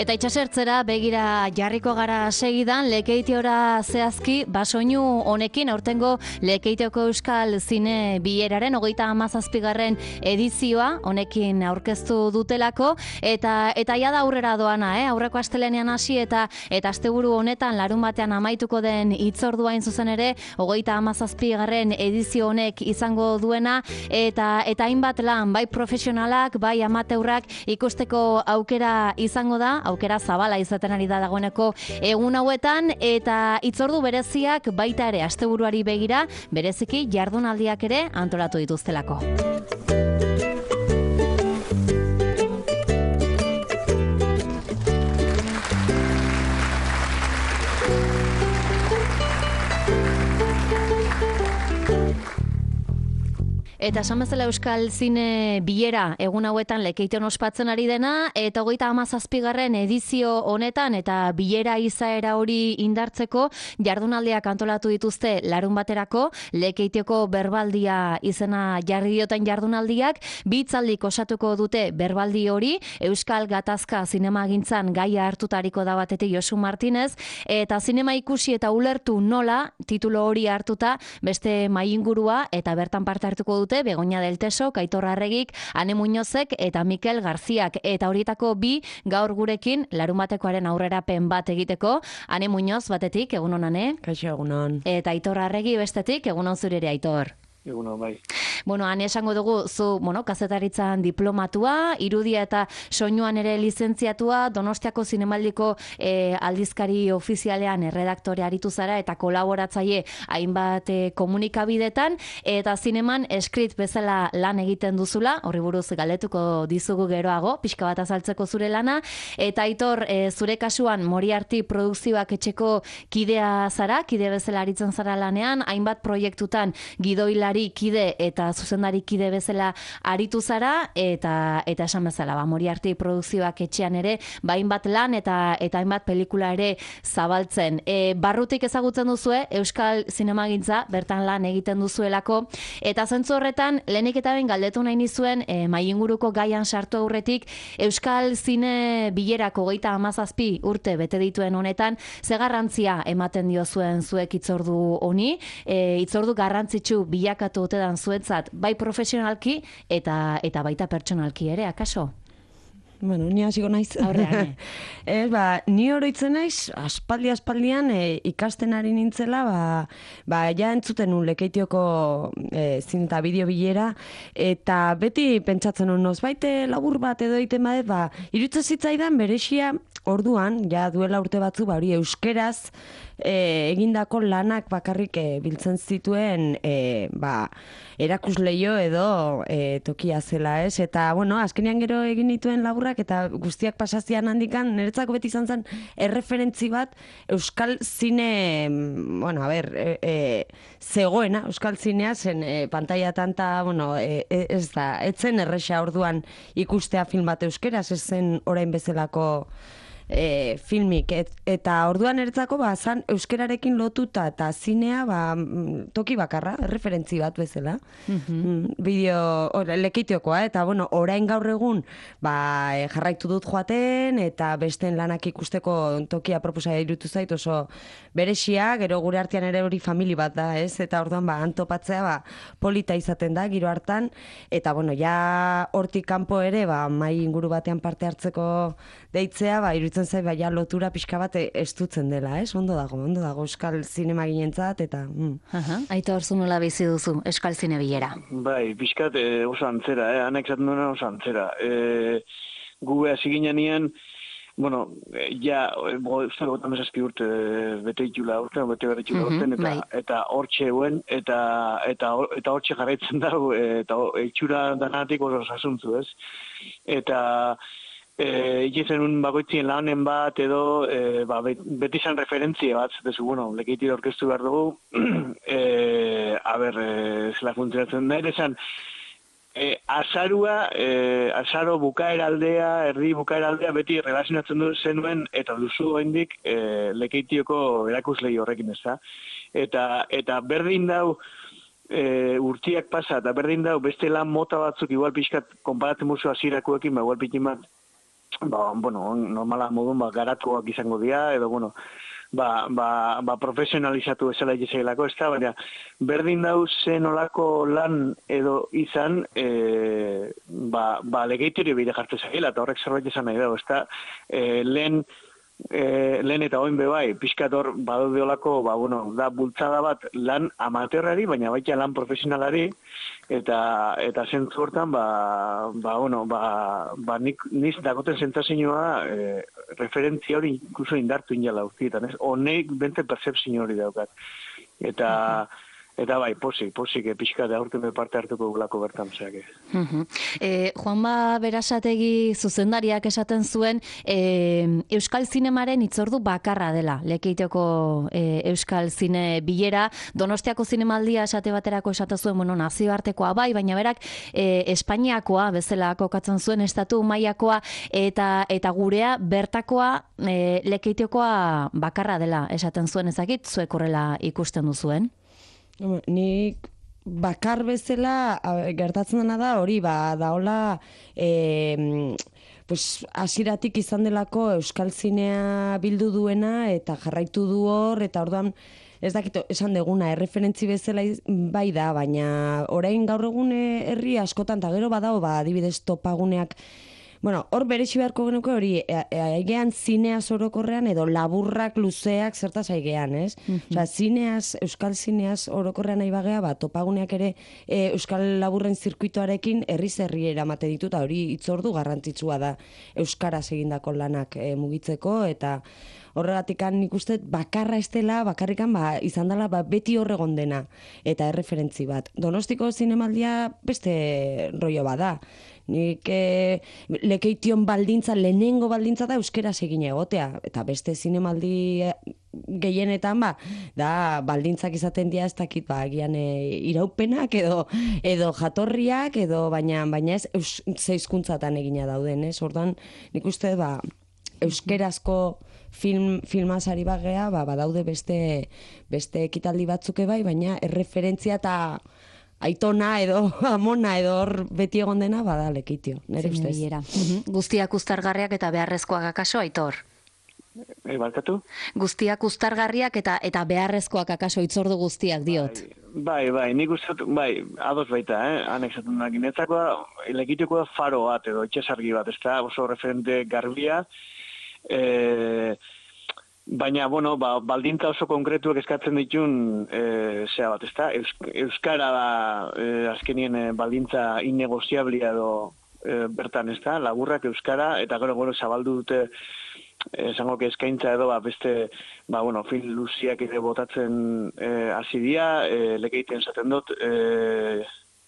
Eta itxasertzera begira jarriko gara segidan, Lekeitiora zehazki basoinu honekin, aurtengo Lekeitioko Euskal Zine Bileraren 37. edizioa honekin aurkeztu dutelako, eta jada aurrera doana, aurreko astelenean hasi eta asteburu honetan larun batean amaituko den hitzordua hain zuzen ere 37. edizio honek izango duena, eta hainbat lan, bai profesionalak, bai amateurrak ikusteko aukera izango da, aukera zabala izaten ari da dagoeneko egun hauetan, eta hitzordu bereziak baita ere asteburuari begira, bereziki jardunaldiak ere antolatu dituztelako. Eta esan bezala Euskal Zine Bilera egun hauetan Lekeition ospatzen ari dena, eta 37. edizio honetan eta bilera izaera hori indartzeko jardunaldiak antolatu dituzte larun baterako, Lekeitioko berbaldia izena jarri dioten jardunaldiak, bi hitzaldik osatuko dute berbaldi hori, Euskal Gatazka zinemagintzan gaia hartutariko da batetik Josu Martinez, eta zinema ikusi eta ulertu nola, titulo hori hartuta, beste maingurua eta bertan parte hartuko dute Begoña del Teso, Aitor Arregik, Ane Muñozek eta Mikel Garziak, eta horietako bi gaur gurekin larunbatekoaren aurrerapen bat egiteko. Ane Muñoz batetik, egunon Ane? Kaixo, egunon. Eta Aitor Arregi bestetik, egunon zure ere Aitor. Egunon, bai. Bueno, Ane, esango dugu, zu, kazetaritzan diplomatua, irudia eta soinuan ere lizentziatua, Donostiako Zinemaldiko aldizkari ofizialean erredaktore aritu zara eta kolaboratzaile hainbat komunikabidetan, eta zineman eskrit bezala lan egiten duzula, horri buruz galdetuko dizugu geroago, pixka bat azaltzeko zure lana, eta Aitor, zure kasuan Moriarty produkzioak etxeko kidea zara, kide bezala aritzen zara lanean, hainbat proiektutan gidoilari kide eta zuzendari kide bezala aritu zara, eta esan bezala, Moriarty produkzioak etxean ere, hainbat lan eta hainbat pelikula ere zabaltzen. Barrutik ezagutzen duzue, Euskal Zinemagintza, bertan lan egiten duzuelako, eta zentzu horretan, lehenik eta ben galdetu nahi nizuen, mainguruko gaian sartu aurretik, Euskal Zine Bilerako 37 urte bete dituen honetan, ze garrantzia ematen dio zuen zuek hitzordu honi, hitzordu garrantzitsu bilakatu otedan zuentzat, bai profesionalki eta baita pertsonalki ere, akaso? Bueno, ni hasiko naiz. Aurrean. Ni oroitzen naiz, aspaldian ikasten ari nintzela, ja entzuten nun Lekeitioko zin eta bideo bilera, eta beti pentsatzen nun, baite labur bat edo egiten badet, iruditzen zitzaidan berexia orduan, ja duela urte batzu, hori euskeraz egindako lanak bakarrik biltzen zituen erakusleio edo tokia zela, ez? Eta, azkenean gero egin dituen laburrak eta guztiak pasazian handikan, niretzako beti izan zen erreferentzi bat Euskal Zine, zegoena, Euskal Zinea zen pantaiatan ez da, etzen erresa orduan ikustea film bat euskeraz, ez zen orain bezalako filmik, eta orduan eretzako zan euskerarekin lotuta eta zinea toki bakarra, referentzi bat bezala. Lekeitiokoa, eta orain gaur egun jarraitu dut joaten, eta besteen lanak ikusteko tokia proposa irutu zait oso berexia, gero gure artean ere hori famili bat da, ez? Eta orduan antopatzea polita izaten da, giro hartan, eta ja hortik kanpo ere mai inguru batean parte hartzeko deitzea, iruditzen zait, ja lotura pixka bat estutzen dela, ez? Ondo dago Euskal Zinemaginentzat, eta... Aitor, zu nola bizi duzu Euskal Zine Bilera? Bai, pixkat oso antzera, anek zaten duena oso antzera. Gu hasi ginean, uste 57 urte bete itxula urten, eta hortxe euen, eta hortxe jarraitzen dago, eta itxura danatik oso sasuntzu, ez? Eta... Ikizen un bakoitzien lanen bat edo beti izan referentzia bat, dezu, Lekeiti orkestu behar dugu, zela funtzionatzen da, esan, azaro bukaeraldea, erdi bukaeraldea beti relazionatzen du zenuen, eta duzu oraindik Lekeitioko erakuslei horrekin ez da. Eta berdin dau, urtiak pasa, eta berdin dau beste lan mota batzuk igual pixkat konparatzen musu azirakoekin, igual pikin bat bueno, normala modun, garatuak izango dira, edo, bueno, profesionalizatu ezela izailako, ez da, baina berdin dau zen olako lan edo izan, legeiterio bide jartu zaila, eta horrek zerbait izan nahi dago, ez da, lehen eta oin bebai, pixkator badaude olako, da bultzada bat lan amaterrari, baina baita lan profesionalari, eta zentzu hortan, niz dagoten sentazioa referentzia hori inkluso indartu inala guztietan, ez? Honek bente percepzio hori daukat. Eta bai, posik, pixka da aurten parte hartuko gulako bertan, zeak. Juanma Berasategi zuzendariak esaten zuen, Euskal Zinemaren hitzordu bakarra dela, Lekeitioko Euskal Zine bilera, Donostiako zinemaldia esate baterako esaten zuen, nazioartekoa bai, baina berak Espainiakoa bezala kokatzen zuen, estatu mailakoa eta gurea bertakoa Lekeitiokoa bakarra dela esaten zuen, ezakit zuek horrela ikusten duzuen? Nik bakar bezala gertatzen dena da hori, daola hasieratik izan delako Euskal Zinea bildu duena eta jarraitu du hor, eta orduan ez dakit esan deguna, erreferentzi bezala bai da, baina orain gaur egun herri askotan, eta gero badao, adibidez topaguneak, hor beresi beharko genuke hori, aigean zineaz orokorrean edo laburrak luzeak zertaz aigean, ez? Osea, zineaz, euskal zineaz orokorrean nahi bagea, topaguneak ere euskal laburren zirkuitoarekin herri eramate ditu, eta hori hitzordu garrantzitsua da euskaraz egindako lanak mugitzeko, eta horregatik nik uste bakarra ez dela, bakarrikan izan dela beti horregon dena, eta erreferentzi bat. Donostiko zinemaldia beste rollo bada. Nik Lekeition baldintza, lehenengo baldintza da euskeraz egin egotea, eta beste zinemaldi gehienetan da baldintzak izaten dira ez dakit agian iraupenak edo jatorriak edo baina ez zeizkuntzatan egina dauden, ez? Orduan nik uste euskerazko filmazari bagea, badaude beste ekitaldi batzuke bai, baina erreferentzia eta aitona edo amona edo hor beti egon dena bada Lekeitio, nire ustez. Guztiak uztargarriak eta beharrezkoak akaso, Aitor? Barkatu? Guztiak uztargarriak eta beharrezkoak akaso hitzordu guztiak diot. Bai, nik uste, ados baita, anexatun da ginetzakoa, Lekeitiokoa faro bat edo itxasargi bat, ez da oso referente garbia, baina, baldintza oso konkretuak eskatzen ditun zea bat, ezta? Euskara da azkenien baldintza innegoziablia edo bertan, ezta? Laburrak euskara, eta gero zabaldu dute esango eskaintza edo beste film luziak ere botatzen hasi dira, Lekeitien esaten dut,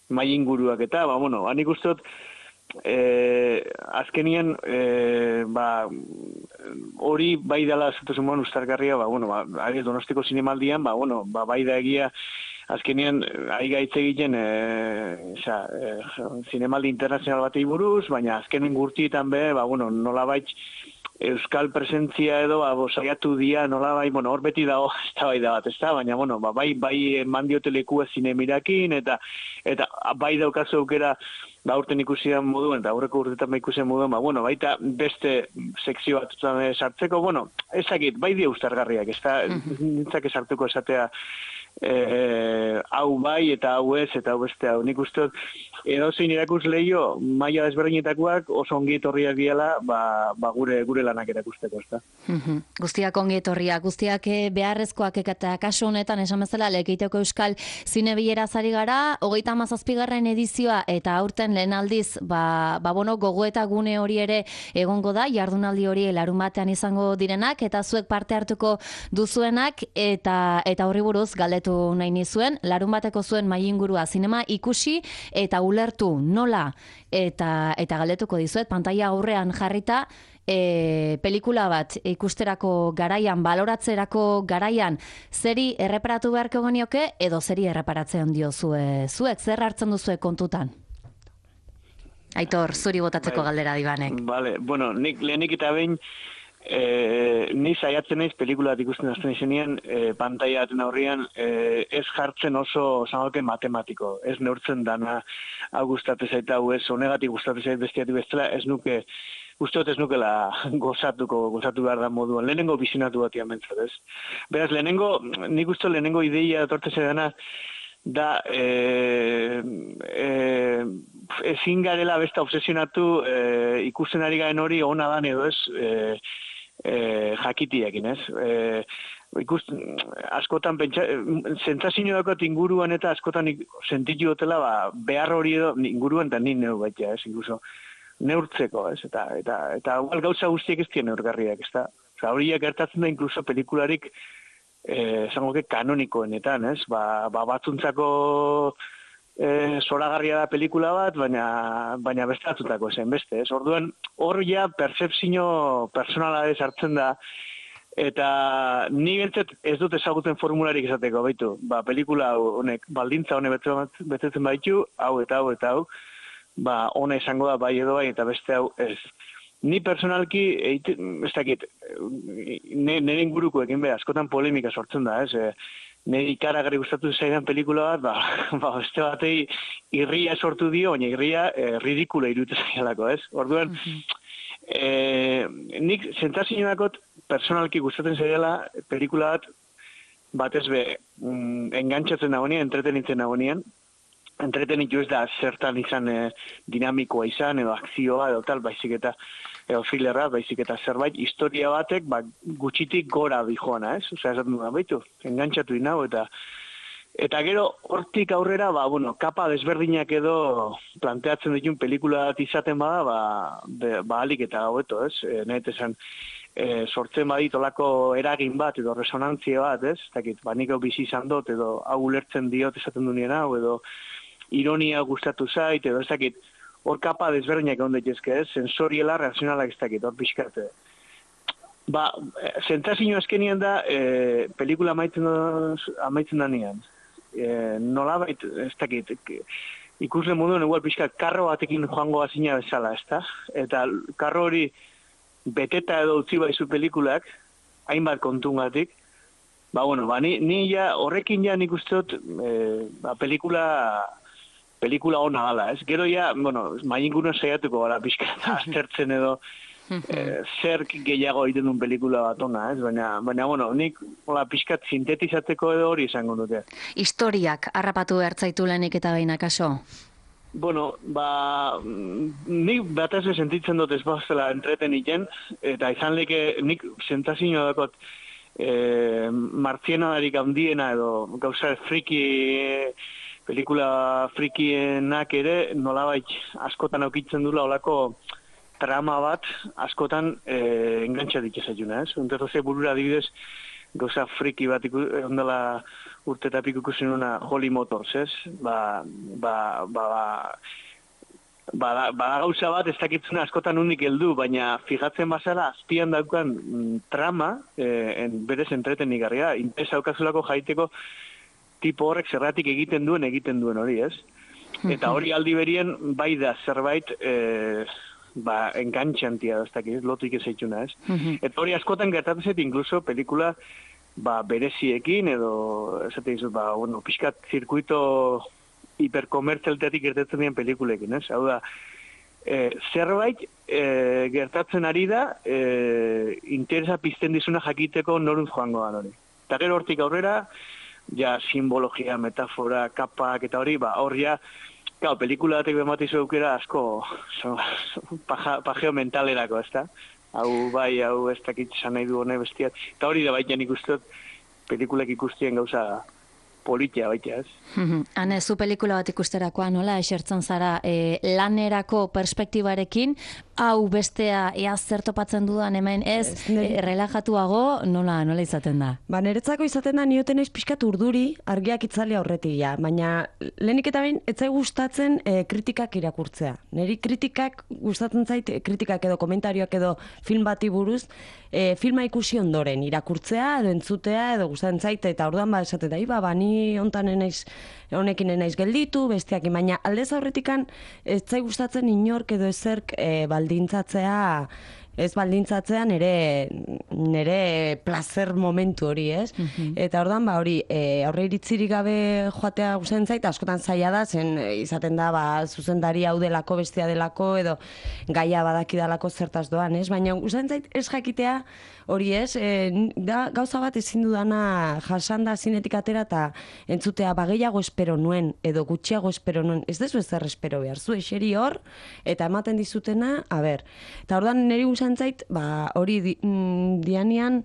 mai inguruak eta, hanik uste dut, azkenien hori bai dela zentuzun ustargarria, Donostiko zinemaldian, bai da egia azkenien aigaitze egiten zinemaldi internazional batei buruz, baina azkenen gurtietan nolabait euskal presentzia edo saiatu dia nolabait, hor beti dago eztabaida bat, ezta, baina bai mandiote lekua zinemirakin eta bai daukazu aukera aurten ikusian moduen, eta aurreko urtetan ikusian moduen, baita beste sekzio bat sartzeko, ezakit, bai dia ustargarriak, ez da, nintzak esartuko esatea hau bai eta hau ez eta hau beste hau. Nik uste edozein irakus lehio maila desberdinetakoak oso ongi etorriak diela gure lanak erakusteko, ezta. Guztiak ongi etorriak, guztiak beharrezkoak eta kasu honetan esan bezala Lekeitioko Euskal Zine Bilera zari gara, 37. edizioa eta aurten lehen aldiz gogoeta gune hori ere egongo da, jardunaldi hori larunbatean izango direnak eta zuek parte hartuko duzuenak eta horri buruz galdetu nahi nizuen, larunbateko zuen mailingurua zinema ikusi eta ulertu nola eta galdetuko dizuet, pantaila aurrean jarrita pelikula bat ikusterako garaian, baloratzerako garaian, zeri erreparatu beharko genioke edo zeri erreparatzen diozue zuek, zer hartzen duzue kontutan? Aitor, zuri botatzeko galdera dibanek. Vale, nik lehenik eta behin ni saiatzen naiz pelikula bat ikusten hasten izenean, pantaila baten aurrean ez jartzen oso zangoke matematiko, ez neurtzen dana hau gustatzen zait hau ez, honegatik gustatzen zait bestiatik bestela, ez nuke uste dut ez nukela gozatu behar da moduan. Lehenengo bizionatu batian bentzat, ez? Beraz, nik uste lehenengo ideia etortze dena, da ezin garela besta obsesionatu ikusten ari garen hori ona dan edo ez jakitiekin, ez? Askotan sentsazio dakot inguruan eta askotan sentitu dutela behar hori edo inguruan eta nik neu baita, ez? Incluso neurtzeko, ez? Eta igual gauza guztiek ez dien neurgarriak, ez da? Horiak gertatzen da incluso pelikularik esango kanonikoenetan, ez? Batzuntzako zoragarria da pelikula bat, baina beste batzutako zen beste, ez? Orduan, hor ja percepzio personala ez hartzen da, eta ni bentzat ez dut ezagutzen formularik esateko, baitu, pelikula honek, baldintza honek betetzen baitu, hau eta hau eta hau, hona izango da bai edo bai, eta beste hau ez. Ni personalki, ez dakit, nire ingurukoekin askotan polemika sortzen da, ez? Nire ikaragarri gustatu zaidan pelikula bat, beste batei irria sortu dio, baina irria ridikula iruditzen zaialako, ez? Orduan, nik sentsazio dakot personalki gustatzen zaiala pelikula batez be engantzatzen nagoenean, entretenitzen nagoenean, entretenitu ez da zertan izan dinamikoa izan, edo akzioa, edo tal, baizik eta thrillera, baizik eta zerbait, historia batek, gutxitik gora dijoana, ez? Osea, esaten duan, baitu, engantzatu inau, eta gero, hortik aurrera, kapa desberdinak edo planteatzen ditun pelikula bat izaten bada, alik eta hobeto, ez? Nahet esan, sortzen badit olako eragin bat, edo resonantzia bat, ez? Takit, nik hau bizi izan dut, edo hau ulertzen diot esaten duen hau, edo ironia gustatu zait, edo ez dakit, hor kapa desberdinak egon daitezke, ez? Sensoriela, reazionalak ez dakit, hor pixkate. Sentsazio azkenien da, pelikula amaitzen da nian. Nolabait, ez dakit, ikusle moduen egual pixkat karro batekin joango azina bezala, ez da? Eta karro hori beteta edo utzi baizu pelikulak, hainbat kontungatik, ni ja, horrekin ja nik uste dut, pelikula ona gala, ez? Gero ja, mainguno saiatuko gara pixkat aztertzen edo zer gehiago egiten duen pelikula bat ona, ez? Baina, nik pixkat sintetizatzeko edo hori izango dute. Historiak harrapatu behartzaitu lehenik eta behin akaso? Nik batez sentitzen dut ez bazela entretenitzen, eta izan leke nik sentsazio dakot martzienadarik handiena edo gauza friki pelikula frikienak ere nolabait askotan aukitzen dula olako trama bat askotan engantzatik ezaguna, ez? Unterroze burura adibidez gauza friki bat ondela urte eta piku ikusten una Holy Motors, ez? Bada gauza bat ez dakitzuna askotan unik heldu, baina fijatzen bazara azpian daukan trama, berez entretenik garria, interes daukazulako jaiteko tipo horrek zerratik egiten duen hori, ez? Eta hori aldi berien bai da zerbait engantxantia da, ez dakiz, lotuik ez eitxuna, ez? Eta hori askotan gertatzen inkluso pelikula bereziekin edo pixkat zirkuito hiperkomertzialteatik gertatzen dien pelikulekin, ez? Hau da, zerbait gertatzen ari da interesa pizten dizuna jakiteko noruntz joango da hori. Eta gero hortik aurrera, ja simbologia, metafora, kapak eta hori, hor ja, pelikula batek bematizu eukera asko pajeo mentalerako, ez da? Hau ez dakit esan nahi du hone bestiat. Eta hori da baita nik uste pelikulek ikustien gauza politia baita, ez? Hane, zu pelikula bat ikusterakoa nola esertzen zara lanerako perspektibarekin, hau bestea ea zer topatzen dudan hemen ez relajatuago nola izaten da? Niretzako izaten da nioten ez pixkat urduri argiak itzali aurretik ja, baina lehenik eta behin etzai gustatzen kritikak irakurtzea. Neri kritikak gustatzen zait, kritikak edo komentarioak edo film bati buruz, filma ikusi ondoren irakurtzea edo entzutea edo gustatzen zait, eta orduan esaten da, ni hontan honekin enaiz gelditu, besteak, baina aldez aurretikan ez zai gustatzen inork edo ezerk baldintzatzea ez baldintzatzea nire placer momentu hori, ez? Eta ordan hori, aurre iritzirik gabe joatea gustatzen zait, askotan zaila da, zen izaten da, zuzendari hau delako, bestia delako, edo gaia badakidalako zertaz doan, ez? Baina gustatzen zait ez jakitea hori, ez? Da gauza bat ezin dudana jasanda zinetik atera eta entzutea gehiago espero nuen, edo gutxiago espero nuen, ez dezu ezer espero behar, zu eseri hor, eta ematen dizutena, eta ordan niri gustatzen zait, hori dianean,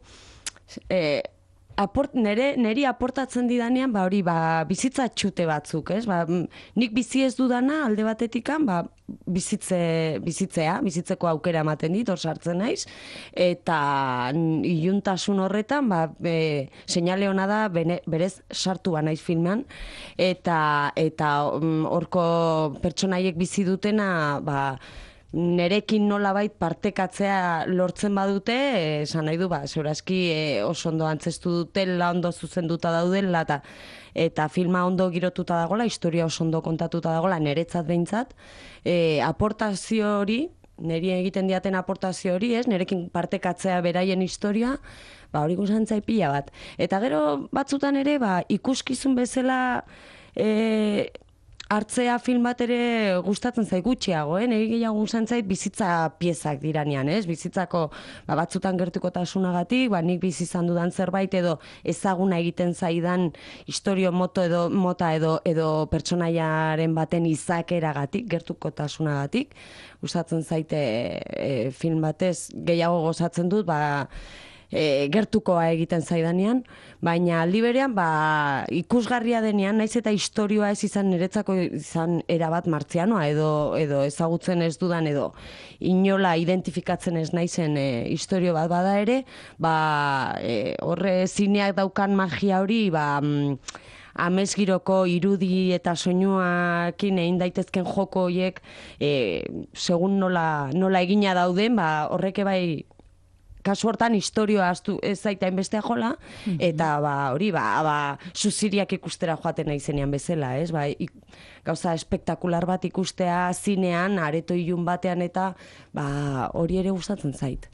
neri aportatzen didanean, hori bizitza txute batzuk, ez? Nik bizi ez dudana alde batetikan, bizitzeko aukera ematen dit, hor sartzen naiz, eta iluntasun horretan, seinale hona da, berez sartu naiz filmean, eta horko pertsonaiek bizi dutena, nerekin nolabait partekatzea lortzen badute, esan nahi du, segurazki oso ondo antzestu dutela, ondo zuzenduta daudela, eta filma ondo girotuta dagoela, historia oso ondo kontatuta dagoela, neretzat behintzat, aportazio hori, neri egiten diaten aportazio hori, nerekin partekatzea beraien historia, hori guzan zaipila bat. Eta gero batzutan ere, ikuskizun bezala hartzea film bat ere gustatzen zait gutxiago, niri gehiago gustatzen zait bizitza piezak diranean, ez? Bizitzako batzutan gertukotasunagatik, nik bizi izan dudan zerbait edo ezaguna egiten zaidan istorio mota edo pertsonaiaren baten izakeragatik, gertukotasunagatik, gustatzen zaite film batez gehiago gozatzen dut, gertukoa egiten zaidanean, baina aldi berean ikusgarria denean, naiz eta istorioa ez izan niretzako izan erabat martzianoa edo ezagutzen ez dudan edo inola identifikatzen ez naizen istorio bat bada ere, horre zineak daukan magia hori, amesgiroko irudi eta soinuakin egin daitezken joko horiek, segun nola egina dauden, horreke kasu hortan historioa ez zaita inbestea jola, eta hori, zuziriak ikustera joaten nahi zenean bezala, ez? Gauza espektakular bat ikustea zinean, areto ilun batean, eta hori ere gustatzen zait.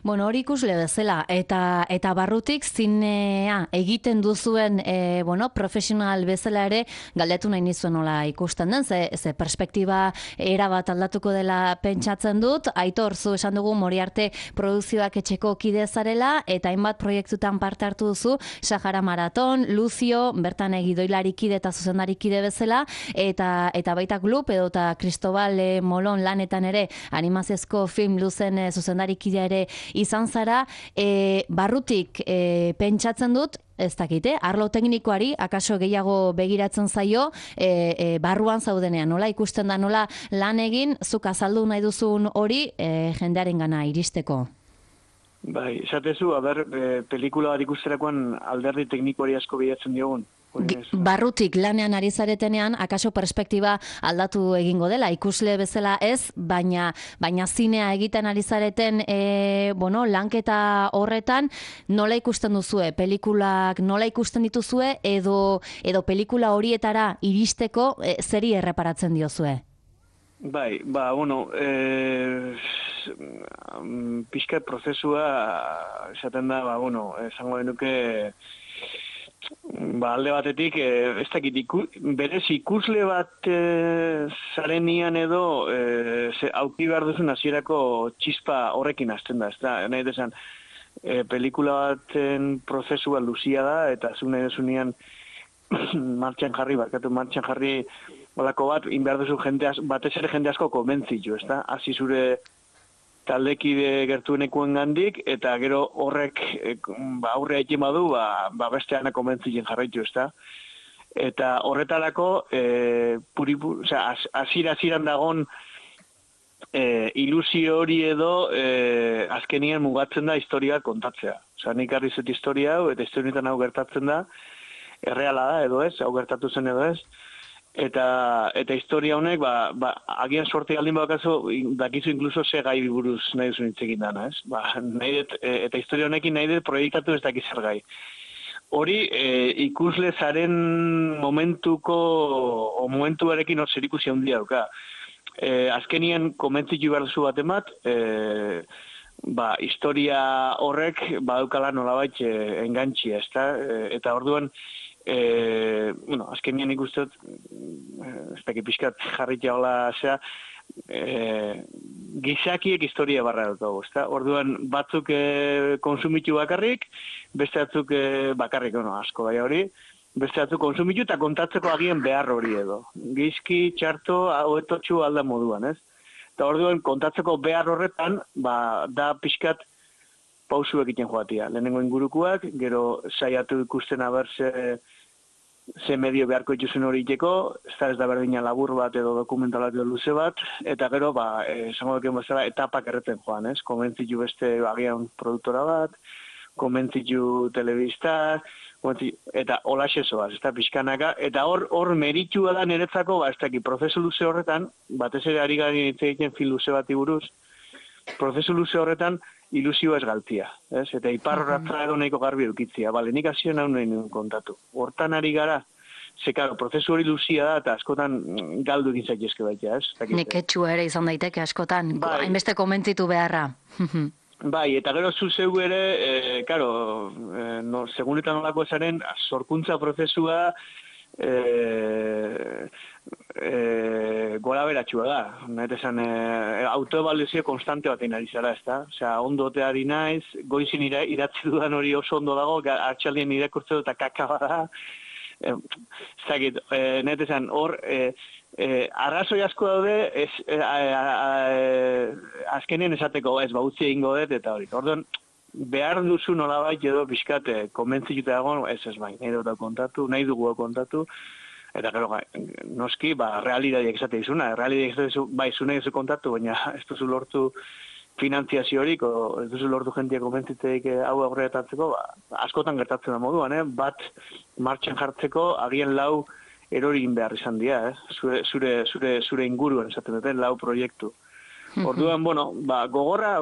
Bueno, hori ikusle bezala, eta barrutik zinea egiten duzuen profesional bezala ere, galdetu nahi nizuen nola ikusten den, ze perspektiba erabat aldatuko dela pentsatzen dut, Aitor, zu esan dugu Moriarte Produzioak etxeko kide zarela, eta hainbat proiektutan parte hartu duzu, Sahara Maraton, Lucio, bertan gidoilari kide eta zuzendari kide bezala, eta baita Gloop eta Cristobal Molon lanetan ere animaziozko film luzen zuzendari kidea ere izan zara, barrutik pentsatzen dut, ez dakite, arlo teknikoari akaso gehiago begiratzen zaio, barruan zaudenean, nola ikusten da, nola lan egin, zuk azaldu nahi duzun hori jendearen gana iristeko. Esatezu, pelikula bat ikusterakoan alderdi teknikoari asko bilatzen diogun. Barrutik lanean ari zaretenean, akaso perspektiba aldatu egingo dela, ikusle bezala ez, baina zinea egiten ari zareten lanketa horretan, nola ikusten duzue, pelikulak nola ikusten dituzue, edo pelikula horietara iristeko zeri erreparatzen diozue? Pixka prozesua esaten da, esango denuke alde batetik, ez dakit, berez ikusle bat zarenian edo auki behar duzun hasierako txispa horrekin hasten da, ez da, nahi desan, pelikula baten prozesua luzia da, eta zu nahi desunean martxan jarri olako bat, inbehar duzu batez ere jende asko konbentzitu, ez da, hasi zure taldekide gertuenekuen gandik, eta gero horrek aurrea egin badu, besteana konbentzitzen jarraitu, ez da. Eta horretarako, azira-aziran dagon ilusio hori edo azkenien mugatzen da historia kontatzea. Nik harri zut historia hau, eta historietan hau gertatzen da, erreala da edo ez, hau gertatu zen edo ez, eta historia honek, agian sorte galdin bakazu, dakizu inkluso ze gai buruz nahi duzu nintzekin dana, ez? Eta historia honekin nahi dut proiektatu ez dakiz zer gai. Hori, ikusle zaren momentuarekin hor zer ikusi handia dauka. Azkenien komentzitu behar duzu bat emat, historia horrek badaukala nolabait engantxia, ezta? Eta orduan, azkenian ikustot, ez dakit pixkat jarritia hola, gizakiek historia barra dugu, ezta? Orduan, batzuk konsumitu bakarrik, beste batzuk bakarrik, asko bai hori, beste batzuk konsumitu eta kontatzeko agian behar hori edo. Gizki, txarto, hoetotxu alda moduan, ez? Eta orduan, kontatzeko behar horretan, da pixkat pausu egiten joatia. Lehenengo ingurukoak, gero saiatu ikusten aber ze medio beharko ituzen hori iteko, ez da berdina labur bat edo dokumentalak edo luze bat, eta gero, esango duken bezala, etapak erreten joan, ez? Komentzitu beste agian produktora bat, komentzitu telebista, eta holaxe zoaz, ez da pixkanaka, eta hor meritua da niretzako, ez dakit, prozesu luze horretan, batez ere ari gari hitz egiten film luze bati buruz, prozesu luze horretan ilusioa ez galtzia, ez? Eta iparrorratza edo nahiko garbi eukitzia, nik hasio nahi nuen kontatu. Hortan ari gara, karo, prozesu hori luzia da, eta askotan galdu egin zaitezke baita, ez? Neketxua ere izan daiteke askotan, hainbeste komentzitu beharra. Bai, eta gero zu zeu ere, segun eta nolako esaren, sorkuntza prozesua gora beratxua da. Nahet esan, autoevaluazio konstante batein ari zara, ez da? Osea, ondo oteari naiz, goizin idatzi dudan hori oso ondo dago, hartxaldien irakurtze dut eta kaka bada. Zagit, nahet esan, hor, arrazoi asko daude, azkenien esateko, ez utzi egingo dut, eta hori. Orduan, behar duzu nolabait edo pixkat konbentzituta dagoen, ez bai, nahi dugu kontatu, eta gero, noski, realidadiak esate izuna, realidadiak esate izu, bai, zu nahi duzu kontatu, baina ez duzu lortu finantziazio horik, ez duzu lortu jentia konbentziteik hau aurretatzeko, askotan gertatzen da moduan, bat martxan jartzeko, agian lau erorin behar izan dira, zure inguruan esaten duten lau proiektu. Orduan, gogorra,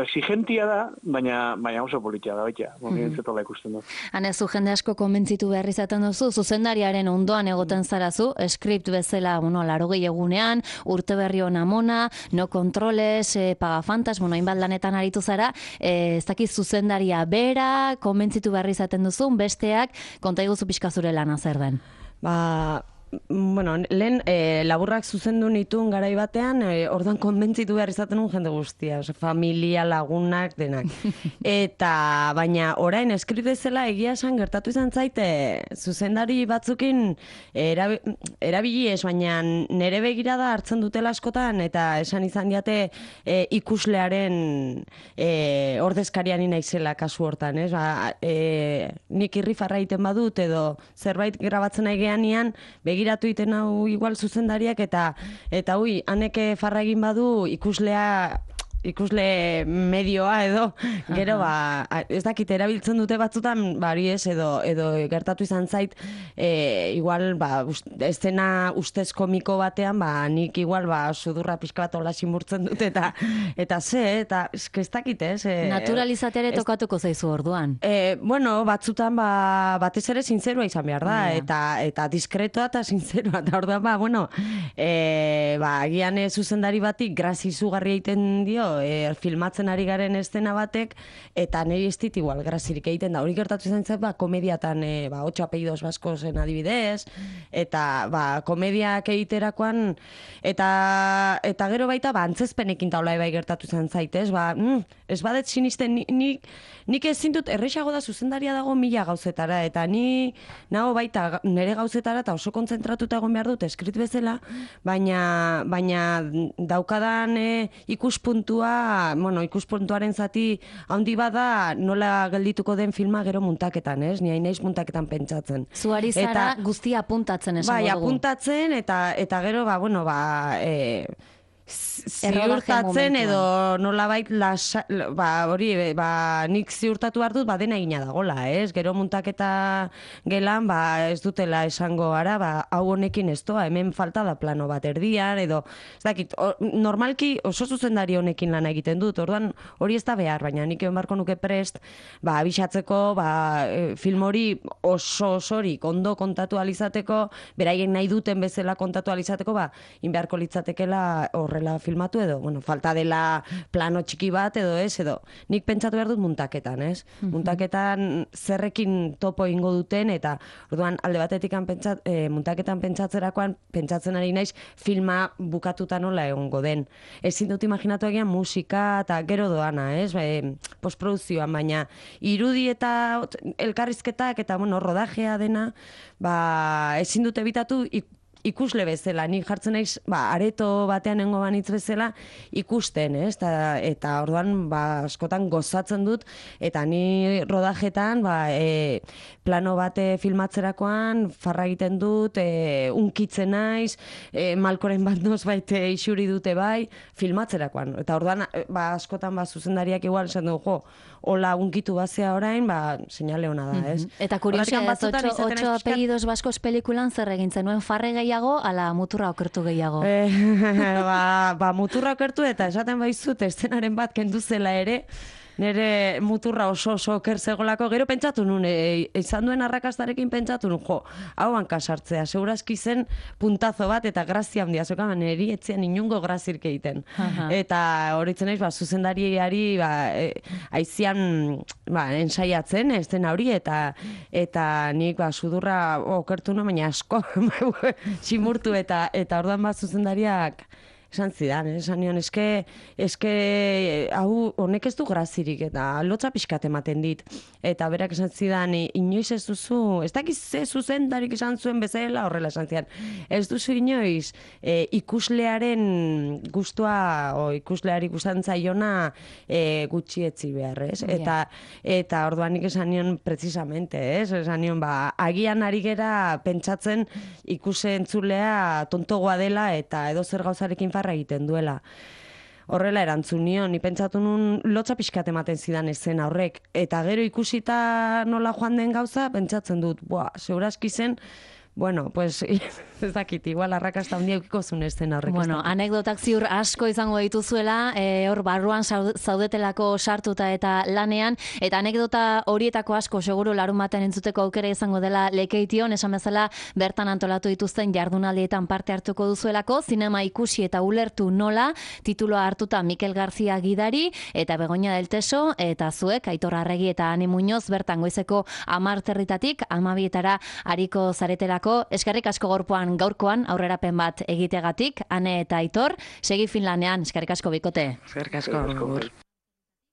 exigentia da, baina oso politia da, baita, zetola ikusten du. Hanezu jende asko konbentzitu behar izaten duzu, zuzendariaren ondoan egoten zarazu, skript bezala, 80 egunean, urte berri hona mona, no kontroles, pagafantas, hainbat lanetan aritu zara, ez dakiz zuzendaria bera, konbentzitu behar izaten duzu, besteak, konta iguzu pixka zure lana zer den. Lehen laburrak zuzendu nituen garai batean, orduan konbentzitu behar izaten un jende guztia, familia, lagunak, denak. Eta, baina orain eskript bezala egia esan gertatu izan zaite, zuzendari batzukin erabili ez, baina nere begirada hartzen dutela askotan, eta esan izan diate ikuslearen ordezkariani naizela kasu hortan, ez? Nik irrifarra egiten badut, edo zerbait grabatzen nahi geanian, begiratu iten hau igual zuzendariak eta haneke farra egin badu ikusle medioa edo gero ez dakit erabiltzen dute batzutan bari ez edo gertatu izan zait igual estena ustez komiko batean nik igual sudurra pixka bat hola simurtzen dut eta ez dakit ez naturalizateare tokatuko zaizu orduan batzutan batez ere sinzerua izan behar da eta diskretoa eta sinzerua eta orduan agian zuzendari batik grazi izugarri egiten dio filmatzen ari garen estena batek, eta niri ez dit igual grazirik egiten da. Hori gertatu izan zait, komediatan, 8 apellidos baskozen adibidez, eta komediak egiterakoan, eta gero baita, antzezpenekin taula bai gertatu izan zaitez, ez badet sinisten, nik ezin dut, errexago da zuzendaria dago 1000 gauzetara, eta ni nago baita nire gauzetara, eta oso kontzentratuta egon behar dut, eskrit bezala, baina daukadan ikuspuntua, ikuspuntuaren zati handi bada nola geldituko den filma gero muntaketan, ez? Ni hain naiz muntaketan pentsatzen. Zuari zara guztia apuntatzen esango dugu. Apuntatzen eta gero ziurtatzen edo nolabait nik ziurtatu behar dut dena egina dagola, ez? Gero muntaketa gelan ez dutela esango gara, hau honekin ez doa, hemen falta da plano bat erdian, edo ez dakit, normalki oso zuzendari honekin lan egiten dut, orduan hori ez da behar, baina nik egon barko nuke prest abisatzeko, film hori oso osorik ondo kontatu alizateko, beraien nahi duten bezala kontatu alizateko, inbeharko litzatekela horrela filmatu edo, bueno, falta dela plano txiki bat edo ez, edo nik pentsatu behar dut muntaketan, ez? Muntaketan zerrekin topo ingo duten, eta orduan alde batetik muntaketan pentsatzerakoan, pentsatzen ari naiz filma bukatuta nola egongo den. Ezin dut imaginatu egian musika eta gero doana, ez? Postproduzioan, baina irudi eta elkarrizketak eta, bueno, rodajea dena, ezin dut ebitatu ikusle bezala, nik jartzen naiz, areto batean nengo banitz bezala ikusten, ez? Eta orduan, askotan gozatzen dut, eta ni rodajetan, plano bate filmatzerakoan, farra egiten dut, unkitzen naiz, malkoren bat nozbait isuri dute bai, filmatzerakoan. Eta orduan, askotan, zuzendariak igual esan du, hola unkitu bazea orain, seinale hona da, ez? Eta kuriosia, 8 apellidos baskos pelikulan zer egin zenuen, farre gehiago, ala muturra okertu gehiago? Muturra okertu eta esaten baizut, eszenaren bat kendu zela ere, nire muturra oso oker zegolako, gero pentsatu nun, izan duen arrakastarekin pentsatu nun, hau hankasartzea, segurazki zen puntazo bat eta grazia handia, zoka, niri etzean inungo grazirik egiten. Eta horitzen naiz, zuzendariari aizian ensaiatzen, ez den hori, eta nik sudurra okertu nun, baina asko, simurtu, eta orduan zuzendariak esan zidan, esan nion, eske hau honek ez du grazirik, eta lotza pixkat ematen dit. Eta berak esan zidan, inoiz ez duzu, ez dakiz ze zuzendarik esan zuen bezala, horrela esan zidan, ez duzu inoiz ikuslearen gustua, o ikusleari gustan zaiona gutxietzi behar, ez? Eta orduan nik esan nion precisamente, ez? Esan nion, agian ari gera pentsatzen ikusentzulea tontogoa dela eta edo zer gauzarekin farra egiten duela. Horrela erantzun nion, ni pentsatu nun lotza pixkat ematen zidan eszena horrek. Eta gero ikusita nola joan den gauza, pentsatzen dut, segurazki zen, bueno, pues, ez dakit, igual arrakasta handia eukiko zuen eszena horrek. Bueno, anekdotak ziur asko izango dituzuela, hor barruan zaudetelako sartuta eta lanean, eta anekdota horietako asko seguru larun batean entzuteko aukera izango dela Lekeition, esan bezala bertan antolatu dituzten jardunaldietan parte hartuko duzuelako, zinema ikusi eta ulertu nola, tituloa hartuta Mikel García gidari, eta Begoña del Teso, eta zuek, Aitor Arregi eta Ane Muñoz, bertan goizeko 10:00 12:00 ariko zaretelako. Eskerrik asko gaurkoan aurrerapen bat egitegatik, Ane eta Aitor, segi Finlandean, eskerrik asko bikote. Eskerrik asko.